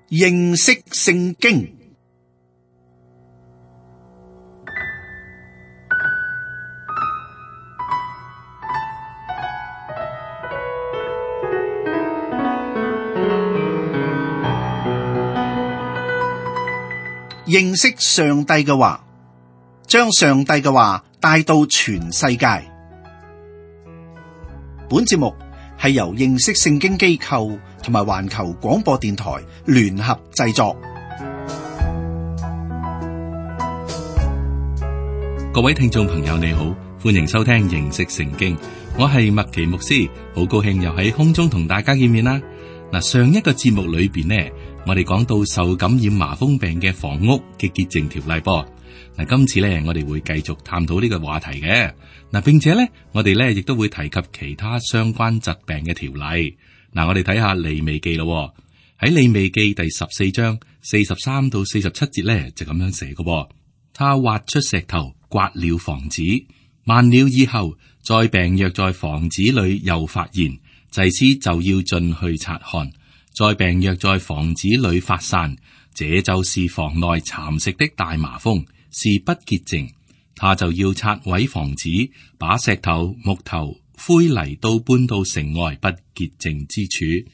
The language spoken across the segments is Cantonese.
認識聖經。認識上帝嘅話，將上帝嘅話帶到全世界。本節目係由認識聖經機構同埋環球廣播電台聯合製作。各位聽眾朋友你好，歡迎收聽認識聖經，我係麥奇牧師，好高興又喺空中同大家見面啦。嗱，上一個節目裏邊呢，我哋講到受感染麻風病嘅房屋嘅潔淨條例噃。嗱，今次咧我哋會繼續探討呢個話題嘅。嗱，並且咧我哋咧亦都會提及其他相關疾病嘅條例。嗱，我哋睇下利未記咯。喺利未記第14章43到47節咧就咁樣寫嘅。他挖出石頭刮了房子，慢了以後，災病若在房子裏又發現，祭司就要進去察看。災病若在房子裏發散，這就是房內蠶食的大麻風，是不潔淨。他就要拆毀房子，把石頭、木頭、灰泥都搬到城外不潔淨之處。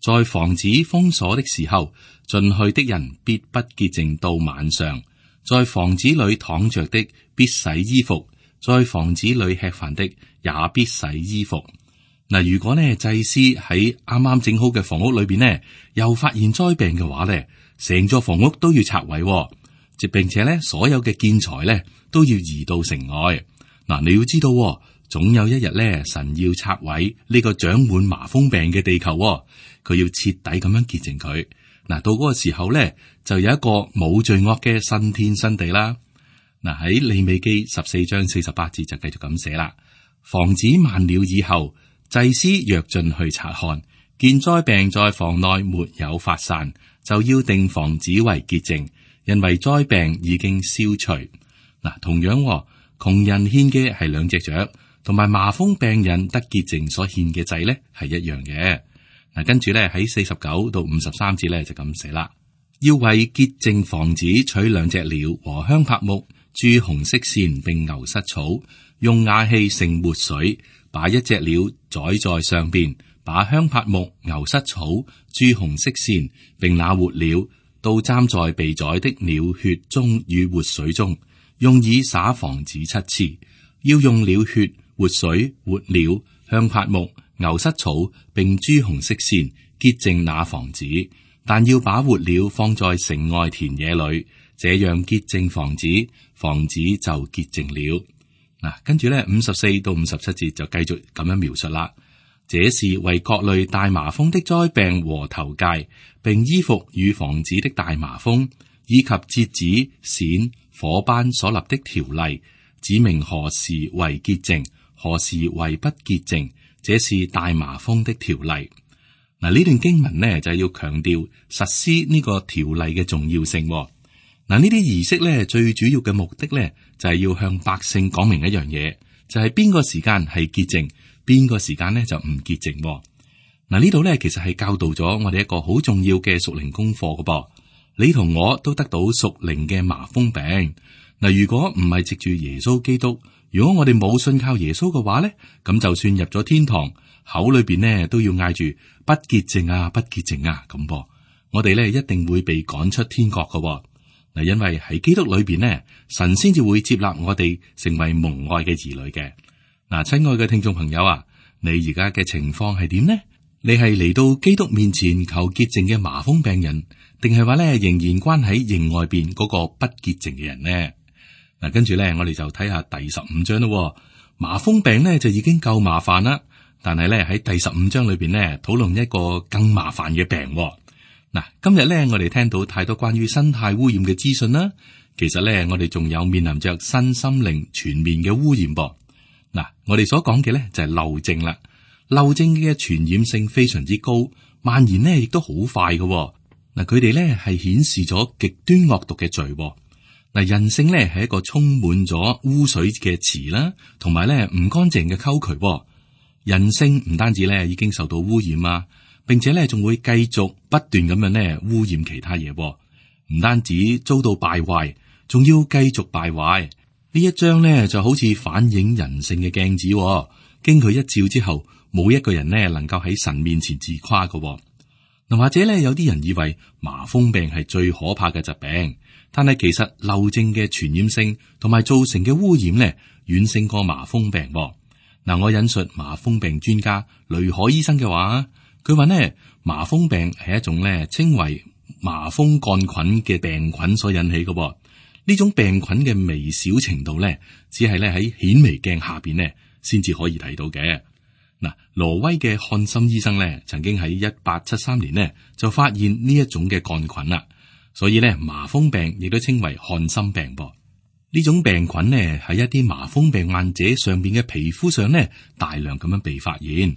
在房子封鎖的時候，進去的人必不潔淨到晚上。在房子裏躺着的必洗衣服，在房子裏吃飯的也必洗衣服。嗱，如果呢祭司喺啱啱整好嘅房屋裏邊呢，又發現災病嘅話呢，成座房屋都要拆毀，並且呢所有嘅建材呢都要移到城外。嗱，你要知道，總有一日呢，神要拆毀呢個長滿麻風病嘅地球，佢要徹底咁樣潔淨佢。嗱，到嗰個時候呢，就有一個冇罪惡嘅新天新地啦。嗱，喺利未記14章48節就繼續咁寫啦。房子慢了以後，祭司若進去察看，見災病在房內沒有發散，就要定房子為潔淨，因為災病已經消除。嗱，同樣，窮人獻嘅係2隻雀，同埋麻風病人得潔淨所獻嘅祭呢係一樣嘅。嗱，跟住咧喺49到53節咧就咁寫啦，要為潔淨房子取2隻鳥和香柏木、朱紅色線並牛膝草，用瓦器盛活水，把1隻鳥宰在上邊，把香柏木、牛膝草、朱紅色線並那活鳥都沾在被宰的鳥血中與活水中，用以灑房子7次。要用鳥血、活水、活鳥、香柏木、牛膝草並朱紅色線潔淨那房子，但要把活鳥放在城外田野裏，這樣潔淨房子，房子就潔淨了。嗱，跟住咧54到57節就繼續咁樣描述啦。這是為各類大麻風的災病和頭疥，並衣服與房子的大麻風，以及節子、閃、火斑所立的條例，指明何時為潔淨，何時為不潔淨。這是大麻風的條例。嗱，呢段經文呢就係要強調實施呢個條例嘅重要性。嗱，呢啲儀式呢最主要嘅目的呢就係要向百姓講明一樣嘢，就係邊個時間係潔淨，邊個時間呢就唔潔淨。嗱，呢度呢其實係教導咗我哋一個好重要嘅屬靈功課㗎噃。你同我都得到屬靈嘅麻風病。嗱，如果唔係藉住耶穌基督，如果我哋冇信靠耶穌嘅話咧，咁就算入咗天堂，口裏邊呢都要嗌住不潔淨啊，不潔淨啊咁噃。我哋咧一定會被趕出天國㗎。嗱，因為喺基督裏邊呢，神先至會接納我哋成為蒙愛嘅兒女嘅。嗱，親愛嘅聽眾朋友啊，你而家嘅情況係點呢？你係嚟到基督面前求潔淨嘅麻風病人，定係話咧仍然關喺營外邊嗰個不潔淨嘅人呢？嗱，跟住咧，我哋就睇下第15章咯。麻風病咧就已經夠麻煩啦，但係咧喺第15章裏邊咧討論一個更麻煩嘅病。嗱，今日咧我哋聽到太多關於生態污染嘅資訊啦，其實咧我哋仲有面臨着身心靈全面嘅污染噃。嗱，我哋所講嘅咧就係漏症啦。漏症嘅傳染性非常之高，蔓延呢亦都好快嘅。嗱，佢哋咧係顯示咗極端惡毒嘅罪。嗱，人性咧係一個充滿咗污水嘅池啦，同埋咧唔乾淨嘅溝渠。人性唔單止咧已經受到污染啊，並且咧仲會繼續不斷咁樣咧污染其他嘢，唔單止遭到敗壞，仲要繼續敗壞。呢一章咧就好似反映人性嘅鏡子，經佢一照之後，冇一個人咧能夠喺神面前自誇嘅。嗱，或者咧有啲人以為麻風病係最可怕嘅疾病，但係其實漏症嘅傳染性同埋造成嘅污染咧遠勝過麻風病。嗱，我引述麻風病專家雷海醫生嘅話，佢話呢，麻風病係一種咧稱為麻風桿菌嘅病菌所引起嘅。呢種病菌嘅微小程度咧，只係咧喺顯微鏡下邊咧先至可以睇到嘅。嗱，挪威嘅漢森醫生咧，曾經喺1873年呢就發現呢一種嘅桿菌啦，所以咧麻風病亦都稱為漢森病噃。呢種病菌呢喺一啲麻風病患者上邊嘅皮膚上呢大量咁樣被發現。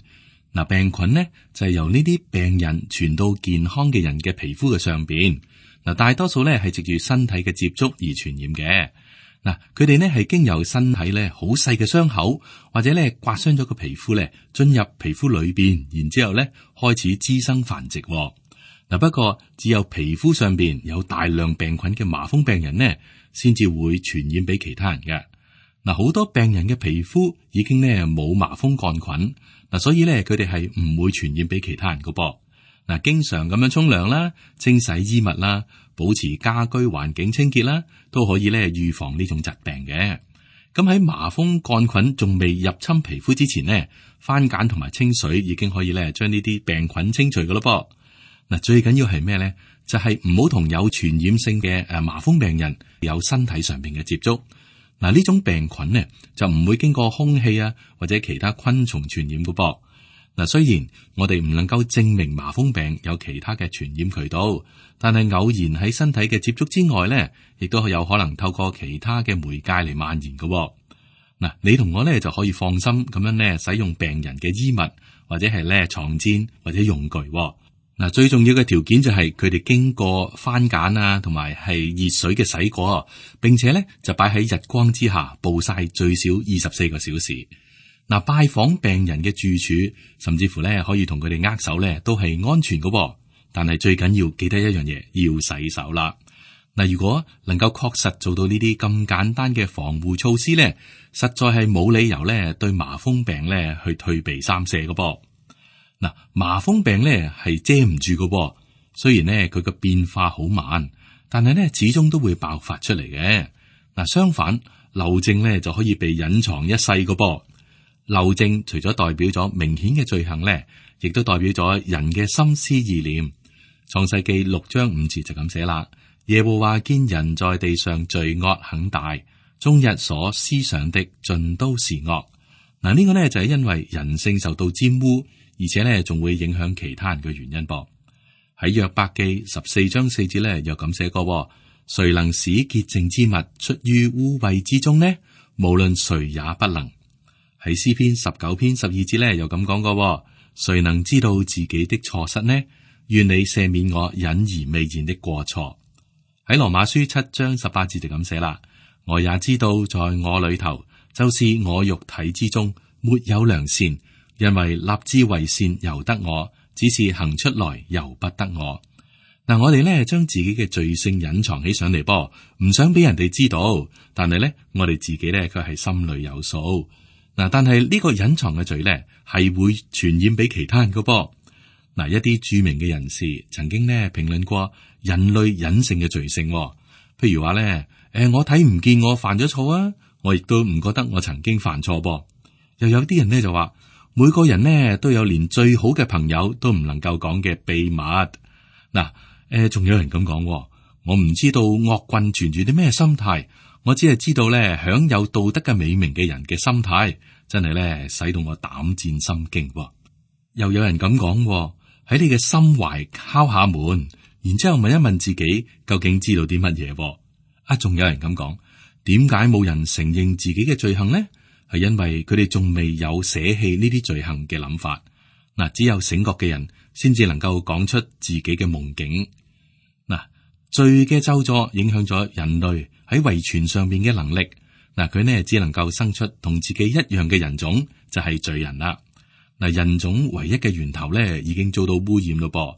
嗱，病菌呢就係由呢啲病人傳到健康嘅人嘅皮膚嘅上邊。嗱，大多數咧係藉住身體嘅接觸而傳染嘅。嗱，佢哋呢係經由身體咧好細嘅傷口，或者咧刮傷咗個皮膚咧，進入皮膚裏邊，然之後咧開始滋生繁殖。嗱，不過只有皮膚上邊有大量病菌嘅麻風病人呢，先至會傳染俾其他人嘅。嗱，好多病人嘅皮膚已經呢冇麻風桿菌，嗱，所以咧佢哋係唔會傳染俾其他人噶噃。嗱，經常咁樣沖涼啦、清洗衣物啦、保持家居環境清潔啦，都可以咧預防呢種疾病嘅。咁喺麻風桿菌仲未入侵皮膚之前呢，番梘同埋清水已經可以咧將呢啲病菌清除噶咯噃。嗱，最緊要係咩咧？就係唔好同有傳染性嘅麻風病人有身體上邊嘅接觸。嗱，呢種病菌呢就唔會經過空氣啊或者其他昆蟲傳染噶噃。嗱，雖然我哋唔能夠證明麻風病有其他嘅傳染渠道，但係偶然喺身體嘅接觸之外咧，亦都有可能透過其他嘅媒介嚟蔓延嘅。嗱，你同我咧就可以放心咁樣咧使用病人嘅衣物或者係咧床墊或者用具。嗱，最重要嘅條件就係佢哋經過番梘啊，同埋係熱水嘅洗過，並且咧就擺喺日光之下暴曬最少24個小時。嗱，拜訪病人嘅住處，甚至乎咧可以同佢哋握手咧，都係安全嘅。但係最緊要記得一樣嘢，要洗手啦。嗱，如果能夠確實做到呢啲咁簡單嘅防護措施咧，實在係冇理由咧對麻風病咧去退避三舍嘅噃。嗱，麻風病咧係遮唔住嘅，雖然咧佢嘅變化好慢，但係咧始終都會爆發出嚟嘅。嗱，相反，漏症咧就可以被隱藏一世嘅噃。漏症除咗代表咗明顯嘅罪行咧，亦都代表咗人嘅心思意念。創世記6章5節就咁寫啦：耶和華見人在地上罪惡很大，終日所思想的盡都是惡。嗱，呢個呢就係因為人性受到沾污，而且呢仲會影響其他人嘅原因噃。喺約伯記14章4節呢又咁寫過：誰能使潔淨之物出於污穢之中呢？無論誰也不能。喺詩篇19篇12節呢又咁講過：誰能知道自己的錯失呢？願你赦免我隱而未現的過錯。喺羅馬書7章18節就咁寫啦：我也知道在我裏頭，就是我肉體之中沒有良善，因為立志為善由得我，只是行出來由不得我。嗱，我哋呢將自己嘅罪性隱藏起上嚟噃，唔想俾人哋知道，但係呢，我哋自己呢，佢係心裏有數。嗱，但係呢個隱藏嘅罪咧，係會傳染俾其他人噶噃。嗱，一啲著名嘅人士曾經咧評論過人類隱性嘅罪性，譬如話咧，我睇唔見我犯咗錯啊，我亦都唔覺得我曾經犯錯噃。又有啲人咧就話，每個人呢都有連最好嘅朋友都唔能夠講嘅秘密。嗱，仲有人咁講，我唔知道惡棍存住啲咩心態。我只係知道咧，享有道德嘅美名嘅人嘅心態，真係咧使到我膽戰心驚。又有人咁講，喺你嘅心懷敲下門，然之後問一問自己究竟知道啲乜嘢。仲有人咁講，點解冇人承認自己嘅罪行呢？係因為佢哋仲未有捨棄呢啲罪行嘅諗法。嗱，只有醒覺嘅人先至能夠講出自己嘅夢境。嗱，罪嘅咒詛影響咗人類喺遺傳上面嘅能力。嗱，佢呢只能夠生出同自己一樣嘅人種，就係罪人啦。嗱，人種唯一嘅源頭咧已經遭到污染咯噃，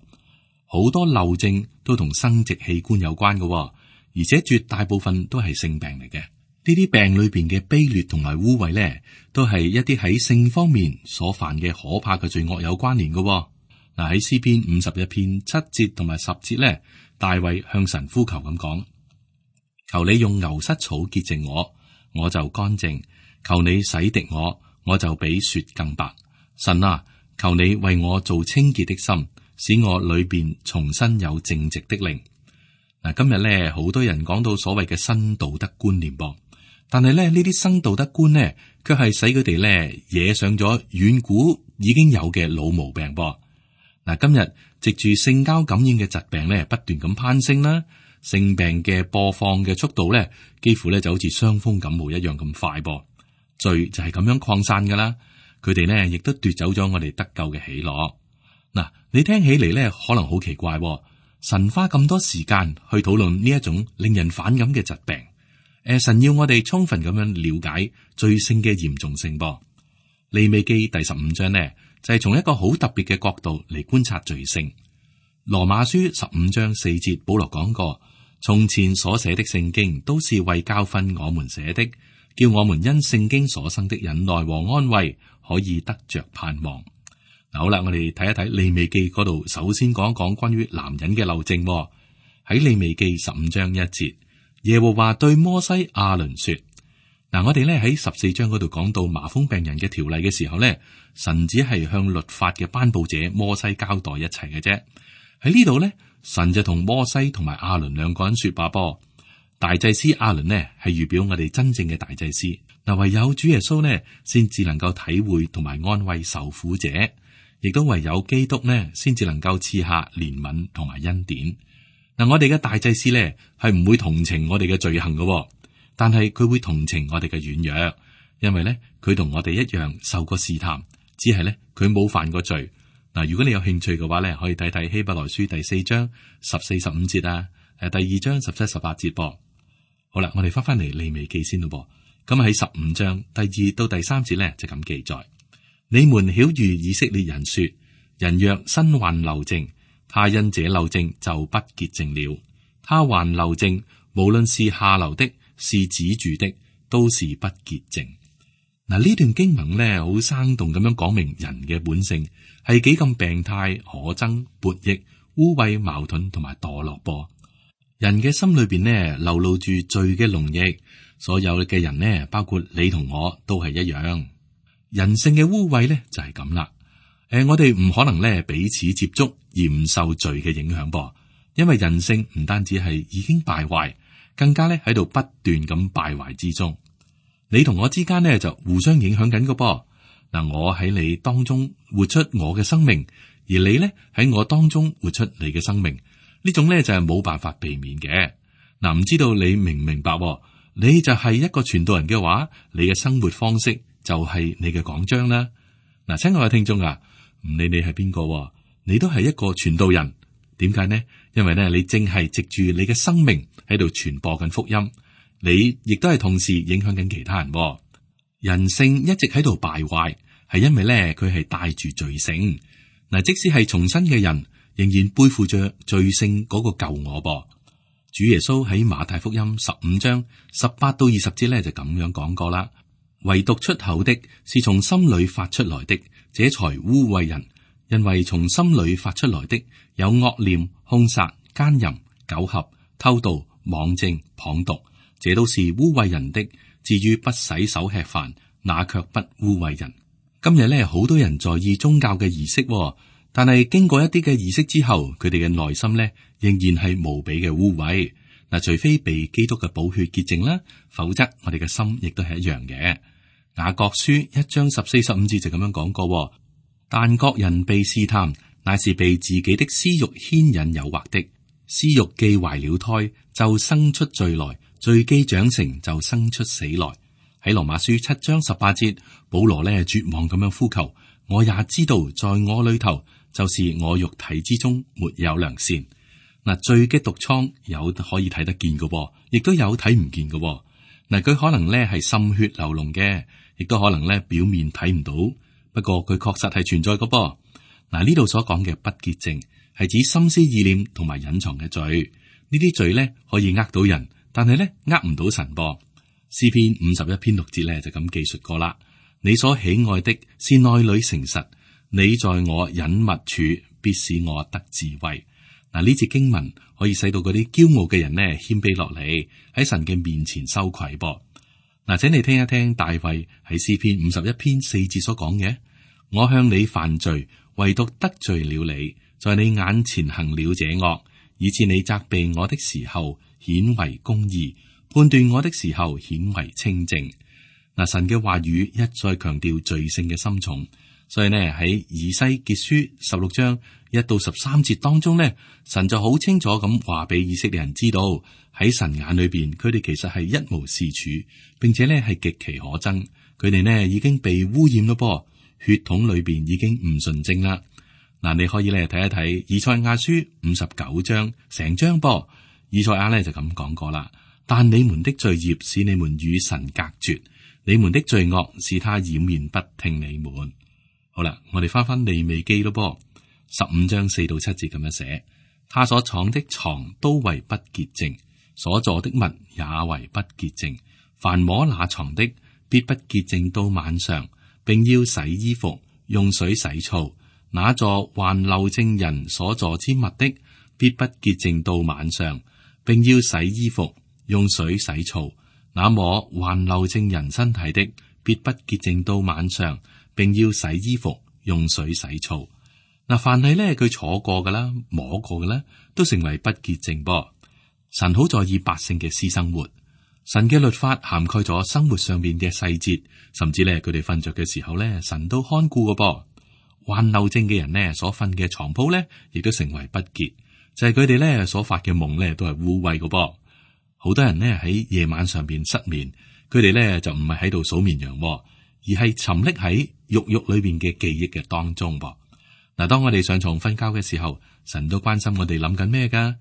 好多漏症都同生殖器官有關嘅，而且絕大部分都係性病嚟嘅。呢啲病裏邊嘅卑劣同埋污穢咧，都係一啲喺性方面所犯嘅可怕嘅罪惡有關聯嘅。嗱，喺詩篇51篇7節同埋10節咧，大衛向神呼求咁講：求你用牛膝草潔淨我，我就乾淨；求你洗滌我，我就比雪更白。神啊，求你為我做清潔的心，使我裏邊重新有正直的靈。嗱，今日咧好多人講到所謂嘅新道德觀念噃。但係咧，呢啲新道德觀呢，卻係使佢哋咧惹上咗遠古已經有嘅老毛病噃。嗱，今日藉住性交感染嘅疾病咧，不斷咁攀升啦，性病嘅播放嘅速度咧，幾乎咧就好似傷風感冒一樣咁快噃。罪就係咁樣擴散噶啦，佢哋呢亦都奪走咗我哋得救嘅喜樂。嗱，你聽起嚟咧可能好奇怪，神花咁多時間去討論呢一種令人反感嘅疾病。神要我哋充分咁樣了解罪性嘅嚴重性噃。利未記第15章呢，就係從一個好特別嘅角度嚟觀察罪性。羅馬書15章4節，保羅講過：從前所寫的聖經都是為教訓我們寫的，叫我們因聖經所生的忍耐和安慰，可以得着盼望。好啦，我哋睇一睇利未記嗰度，首先講一講關於男人嘅漏症。喺利未記15章1節。耶和華對摩西亞倫說：嗱，我哋咧喺14章嗰度講到麻風病人嘅條例嘅時候咧，神只係向律法嘅頒布者摩西交代一切嘅啫。喺呢度咧，神就同摩西同埋亞倫兩個人說話噃。大祭司亞倫呢係預表我哋真正嘅大祭司，嗱，唯有主耶穌呢先至能夠體會同埋安慰受苦者，亦都唯有基督呢先至能夠賜下憐憫同埋恩典。嗱，我哋嘅大祭司咧係唔會同情我哋嘅罪行嘅，但係佢會同情我哋嘅軟弱，因為咧佢同我哋一樣受過試探，只係咧佢冇犯過罪。嗱，如果你有興趣嘅話咧，可以睇睇希伯來書第4章14、15節啊，第2章17、18節噃。好啦，我哋翻嚟利未記先咯噃。咁喺15章第2到第3節咧就咁記載：你們曉諭以色列人說，人若身患漏症，他因這漏症就不潔淨了。他患漏症，無論是下流的，是止住的，都是不潔淨。嗱，呢段經文咧，好生動咁樣講明人嘅本性係幾咁病態、可憎、悖逆、污穢、矛盾同埋墮落噃。人嘅心裏邊呢，流露住罪嘅濃液，所有嘅人呢，包括你同我都係一樣。人性嘅污穢咧就係咁啦。我哋唔可能咧彼此接觸而唔受罪嘅影響噃，因為人性唔單止係已經敗壞，更加咧喺度不斷咁敗壞之中。你同我之間呢，就互相影響緊嘅噃。嗱，我喺你當中活出我嘅生命，而你咧喺我當中活出你嘅生命，呢種咧就係冇辦法避免嘅。嗱，唔知道你明唔明白？你就係一個傳道人嘅話，你嘅生活方式就係你嘅講章啦。嗱，親愛嘅聽眾啊，唔理你係邊個，你都係一個傳道人。點解呢？因為咧，你正係藉住你嘅生命喺度傳播緊福音，你亦都係同時影響緊其他人。人性一直喺度敗壞，係因為咧佢係帶住罪性。嗱，即使係重生嘅人，仍然背負着罪性嗰個舊我噃。主耶穌喺馬太福音15章18到20節咧就咁樣講過啦。唯獨出口的是從心裏發出來的，這才污穢人。因為從心裏發出來的有惡念、兇殺、奸淫、苟合、偷盜、妄證、謗讟，這都是污穢人的。至於不洗手吃飯，那卻不污穢人。今日咧，好多人在意宗教嘅儀式，但係經過一啲嘅儀式之後，佢哋嘅內心咧仍然係無比嘅污穢。嗱，除非被基督嘅寶血潔淨啦，否則我哋嘅心亦都係一樣嘅。雅各書1章14、15節就咁樣講過。但各人被試探，乃是被自己的私欲牽引誘惑的。私欲既懷了胎，就生出罪來；罪既長成，就生出死來。喺羅馬書7章18節，保羅呢絕望咁樣呼求：我也知道，在我裏頭，就是我肉體之中沒有良善。嗱，罪嘅毒瘡有可以睇得見嘅，亦都有睇唔見嘅。嗱，佢可能呢係滲血流膿嘅，亦都可能呢表面睇唔到。不過佢確實係存在嘅噃。嗱，呢度所講嘅不潔淨係指心思意念同埋隱藏嘅罪。呢啲罪咧可以呃到人，但係咧呃唔到神噃。詩篇51篇6節咧就咁記述過啦。你所喜愛的是內裏誠實，你在我隱密處必使我得智慧。嗱，呢節經文可以使到嗰啲驕傲嘅人呢謙卑落嚟，喺神嘅面前羞愧噃。嗱，請你聽一聽大衛喺詩篇51篇4節所講嘅：我向你犯罪，唯獨得罪了你，在你眼前行了這惡，以致你責備我的時候顯為公義，判斷我的時候顯為清正。嗱，神嘅話語一再強調罪性嘅深重，所以呢喺以西結書16章1到13節當中呢，神就好清楚咁話俾以色列人知道，喺神眼裏邊，佢哋其實係一無是處，並且呢係極其可憎。佢哋呢已經被污染咯噃，血統裏邊已經唔純正啦。嗱，你可以咧睇一睇以賽亞書59章成章噃，以賽亞呢就咁講過啦。但你們的罪孽使你們與神隔絕，你們的罪惡使他掩面不聽你們。好啦，我哋翻利未記咯噃，15章4到7節咁樣寫：他所藏的床都為不潔淨，所坐的物也為不潔淨。凡摸那床的，必不潔淨到晚上，並要洗衣服，用水洗澡。那座還漏證人所坐之物的，必不潔淨到晚上，並要洗衣服，用水洗澡。那摸還漏證人身體的，必不潔淨到晚上，並要洗衣服，用水洗澡。嗱，凡係咧佢坐過噶啦，摸過嘅咧，都成為不潔淨噃。神好在意百姓嘅私生活，神嘅律法涵蓋咗生活上面嘅細節，甚至咧佢哋瞓着嘅時候咧，神都看顧嘅噃。患漏症嘅人呢，所瞓嘅床鋪咧，亦都成為不潔，就係佢哋咧所發嘅夢咧，都係污穢嘅噃。好多人呢喺夜晚上邊失眠，佢哋咧就唔係喺度數綿羊，而係沉溺喺肉裏邊嘅記憶嘅當中噃。嗱，當我哋上床瞓覺嘅時候，神都關心我哋諗緊咩噶，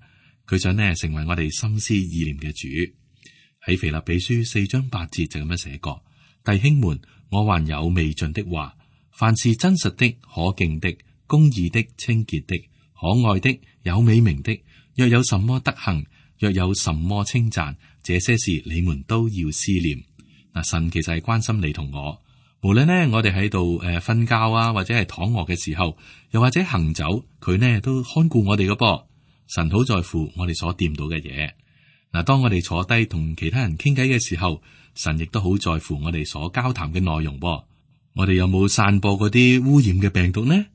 佢想呢成為我哋心思意念嘅主。喺腓立比書4章8節就咁樣寫過：弟兄們，我還有未盡的話，凡是真實的、可敬的、公義的、清潔的、可愛的、有美名的，若有什麼德行，若有什麼稱讚，這些事你們都要思念。嗱，神其實係關心你同我，無論呢我哋喺度瞓覺啊，或者係躺臥嘅時候，又或者行走，佢呢都看顧我哋嘅噃。神好在乎我哋所掂到嘅嘢。嗱，當我哋坐低同其他人傾偈嘅時候，神亦都好在乎我哋所交談嘅內容噃。我哋有冇散播嗰啲污染嘅病毒呢？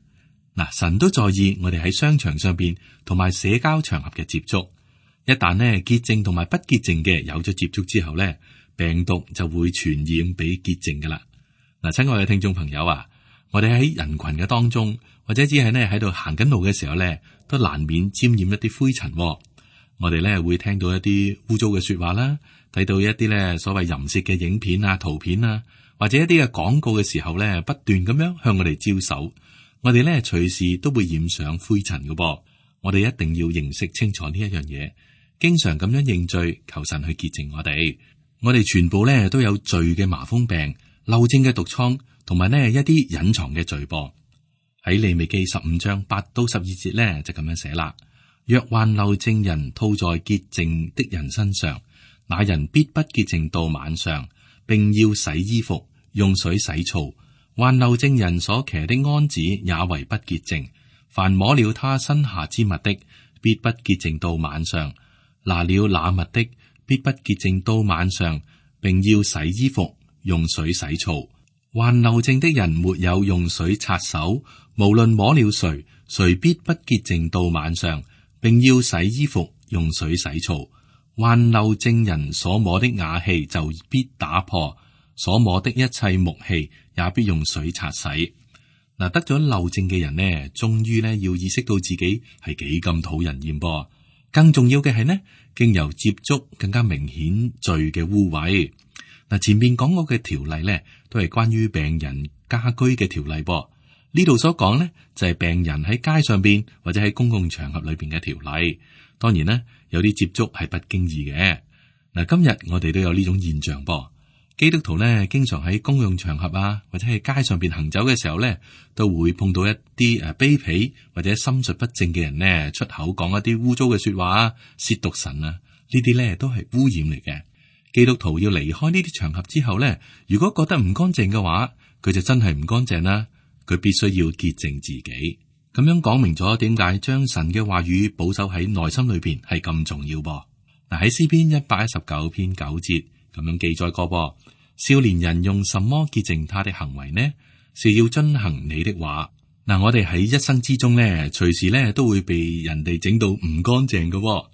嗱，神都在意我哋喺商場上邊同埋社交場合嘅接觸。一旦呢潔淨同埋不潔淨嘅有咗接觸之後呢，病毒就會傳染俾潔淨噶啦。嗱，親愛嘅聽眾朋友啊，我哋喺人群嘅當中，或者只係呢喺度行緊路嘅時候呢，都難免沾染一啲灰塵。我哋呢會聽到一啲污糟嘅說話啦，睇到一啲呢所謂淫褻嘅影片啊、圖片啊，或者一啲嘅廣告嘅時候呢，不斷咁樣向我哋招手。我哋呢隨時都會染上灰塵嘅噃。我哋一定要認識清楚呢一樣嘢，經常咁樣認罪，求神去潔淨我哋。我哋全部呢都有罪嘅麻風病、漏症嘅毒瘡，同埋呢一啲隱藏嘅罪噃。喺利未記15章8到12節呢，就咁樣寫啦：若患漏症人吐在潔淨的人身上，那人必不潔淨到晚上，並要洗衣服，用水洗澡。患漏症人所騎的鞍子也為不潔淨，凡摸了他身下之物的，必不潔淨到晚上。拿了那物的，必不潔淨到晚上，並要洗衣服，用水洗澡。患漏症的人沒有用水擦手，無論摸了誰，誰必不潔淨到晚上，並要洗衣服，用水洗澡。患漏症人所摸的瓦器就必打破，所摸的一切木器也必用水擦洗。嗱，得咗漏症嘅人呢，終於呢要意識到自己係幾咁討人厭噃。更重要嘅係呢，經由接觸更加明顯罪嘅污穢。嗱，前面講過嘅條例呢，都係關於病人家居嘅條例噃。呢度所講呢，就係病人喺街上邊或者喺公共場合裏邊嘅條例。當然呢，有啲接觸係不經意嘅。嗱，今日我哋都有呢種現象噃。基督徒呢，經常喺公用場合啊，或者係街上邊行走嘅時候呢，都會碰到一啲卑鄙或者心術不正嘅人呢，出口講一啲污糟嘅說話啊，褻瀆神啊，呢啲呢都係污染嚟嘅。基督徒要離開呢啲場合之後呢，如果覺得唔乾淨嘅話，佢就真係唔乾淨啦。佢必須要潔淨自己。咁樣講明咗點解將神嘅話語保守喺內心裏邊係咁重要噃。嗱，喺詩篇119篇9節咁樣記載過噃。少年人用什麼潔淨他的行為呢？是要遵行你的話。嗱，我哋喺一生之中呢，隨時呢都會被人哋整到唔乾淨嘅。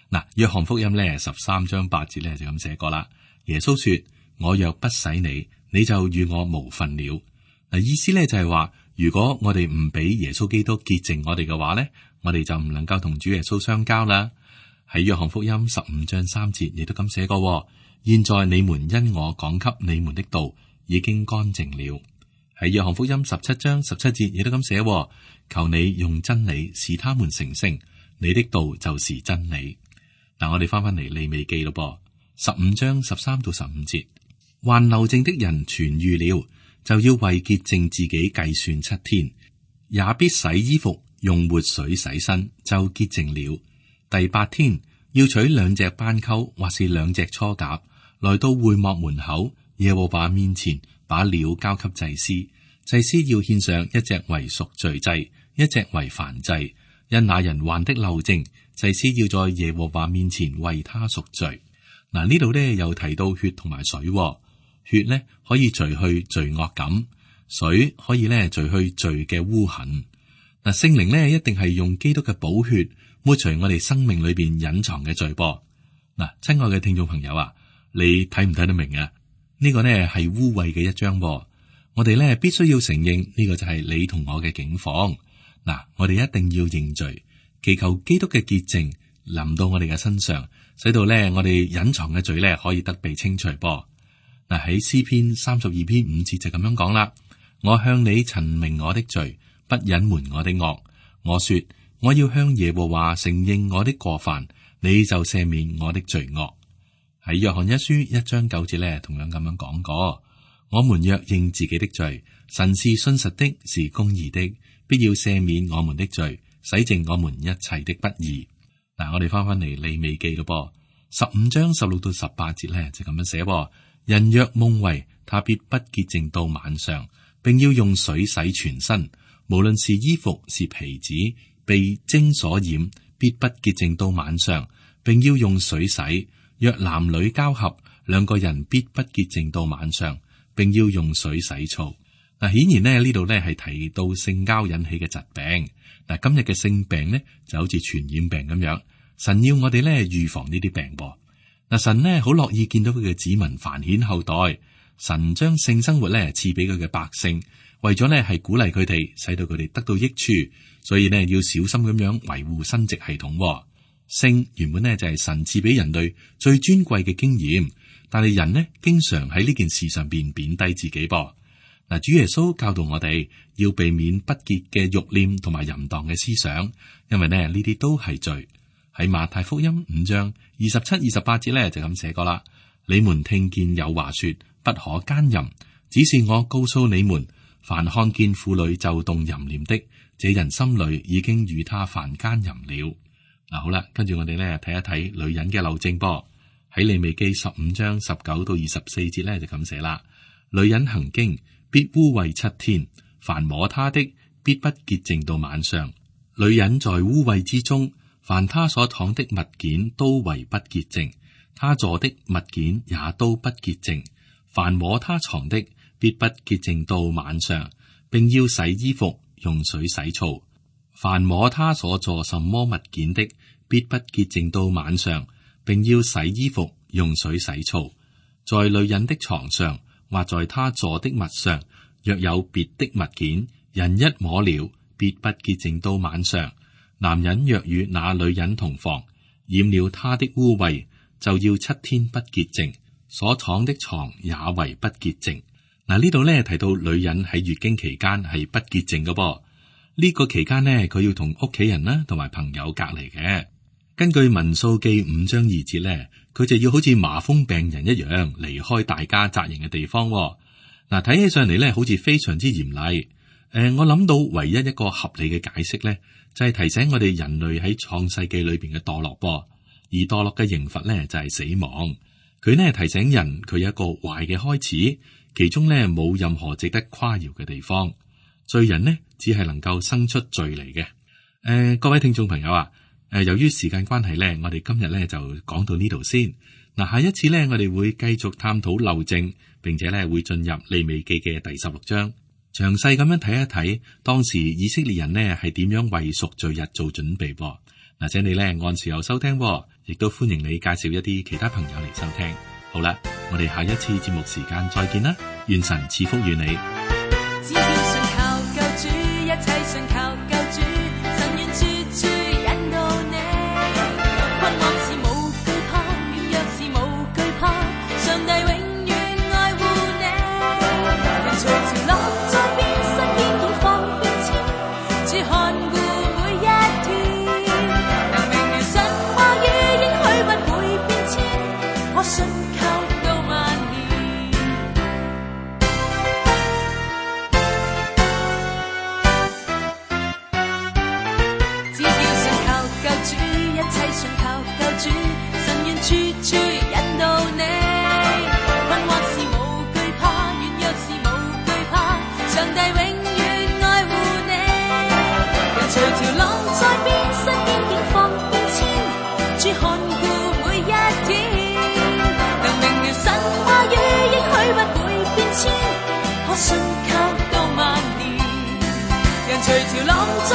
嗱，約翰福音呢13章8節呢就咁寫過啦。耶穌說：我若不洗你，你就與我無分了。嗱，意思呢就係話，如果我哋唔俾耶穌基督潔淨我哋嘅話呢，我哋就唔能夠同主耶穌相交啦。喺約翰福音15章3節亦都咁寫過。現在你們因我講給你們的道已經乾淨了。喺約翰福音17章17節亦都咁寫，求你用真理使他們成聖，你的道就是真理。嗱，我哋翻嚟利未記咯噃，15章13到15節，患漏症的人痊癒了，就要為潔淨自己計算7天，也必洗衣服，用活水洗身，就潔淨了。第8天要取2隻斑鳩或是2隻雛鴿，來到會幕門口，耶和華面前，把料交給祭司。祭司要獻上1隻為贖罪祭，1隻為燔祭。因那人患的漏症，祭司要在耶和華面前為他贖罪。嗱，呢度呢又提到血同埋水，血呢可以除去罪惡感，水可以呢除去罪嘅污痕。嗱，聖靈呢一定係用基督嘅寶血抹除我哋生命裏邊隱藏嘅罪噃。嗱，親愛嘅聽眾朋友啊，你睇唔睇得明啊？呢個呢係污穢嘅一章噃。我哋呢必須要承認呢個就係你同我嘅境況。嗱，我哋一定要認罪，祈求基督嘅潔淨臨到我哋嘅身上，使到呢我哋隱藏嘅罪呢可以得被清除噃。嗱，喺詩篇32篇5節就咁樣講啦。我向你陳明我的罪，不隱瞞我的惡。我說我要向耶和華承認我的過犯，你就赦免我的罪惡。喺約翰一書1章9節呢，同樣咁樣講過。我們若認自己的罪，神是信實的，是公義的，必要赦免我們的罪，洗淨我們一切的不義。嗱，我哋翻嚟利未記咯噃，15章16到18節呢，就咁樣寫。人若夢遺，他必不潔淨到晚上，並要用水洗全身，無論是衣服是皮子，被精所染，必不潔淨到晚上，並要用水洗。若男女交合，2個人必不潔淨到晚上，並要用水洗澡。嗱，顯然呢度呢係提到性交引起嘅疾病。嗱，今日嘅性病呢就好似傳染病咁樣，神要我哋呢預防呢啲病噃。嗱，神呢好樂意見到佢嘅子民繁衍後代，神將性生活呢賜俾佢嘅百姓，為咗呢係鼓勵佢哋，使到佢哋得到益處，所以呢要小心咁樣維護生殖系統。性原本呢就係神賜俾人類最尊貴嘅經驗，但係人呢經常喺呢件事上邊貶低自己噃。嗱，主耶穌教導我哋要避免不潔嘅慾念同埋淫蕩嘅思想，因為呢啲都係罪。喺馬太福音5章27、28節呢就咁寫過啦。你們聽見有話說不可姦淫，只是我告訴你們，凡看見婦女就動淫念的，這人心裏已經與他犯姦淫了。嗱，好啦，跟住我哋咧睇一睇女人嘅漏症噃。喺利未記15章19到24節咧就咁寫啦。女人行經必污穢7天，凡摸她的必不潔淨到晚上。女人在污穢之中，凡她所躺的物件都為不潔淨，她坐的物件也都不潔淨。凡摸她床的必不潔淨到晚上，並要洗衣服，用水洗澡。凡摸他所做什麼物件的，必不潔淨到晚上，並要洗衣服，用水洗澡。在女人的床上，或在她坐的物上，若有別的物件，人一摸了，必不潔淨到晚上。男人若與那女人同房，染了她的污穢，就要7天不潔淨，所躺的床也為不潔淨。嗱，呢度咧提到女人喺月經期間係不潔淨嘅噃。呢個期間呢，佢要同屋企人啦，同埋朋友隔離嘅。根據民數記5章2節呢，佢就要好似麻風病人一樣離開大家紮營嘅地方。嗱，睇起上嚟咧，好似非常之嚴厲。我諗到唯一一個合理嘅解釋咧，就係提醒我哋人類喺創世記裏邊嘅墮落噃，而墮落嘅刑罰咧就係死亡。佢呢提醒人，佢有一個壞嘅開始，其中咧冇任何值得誇耀嘅地方。罪人呢只係能夠生出罪嚟嘅。各位聽眾朋友啊，由於時間關係咧，我哋今日咧就講到呢度先。嗱，下一次咧，我哋會繼續探討漏證，並且咧會進入利未記嘅第16章。詳細咁樣睇一睇，當時以色列人呢係點樣為贖罪日做準備噃。嗱，請你呢按時候收聽，亦都歡迎你介紹一啲其他朋友嚟收聽。好啦，我哋下一次節目時間再見啦，願神賜福與你。只要信靠救主，一切信靠救主，神願處處引導你。困惑是無懼怕，軟弱是無懼怕，上帝永遠愛護你。人隨潮浪在變，身邊已放變遷，主看顧每一天。能明了神話語應許不會變遷，可信靠到萬年。只要信靠救主，一切信靠救主，神願處處引導你。困惑是無懼怕，軟弱是無懼怕，上帝永遠愛護你。人隨潮浪在變，身邊境況變遷，主看顧每一天。能明了神話語應許不會變遷，可信靠到萬年。人隨潮浪在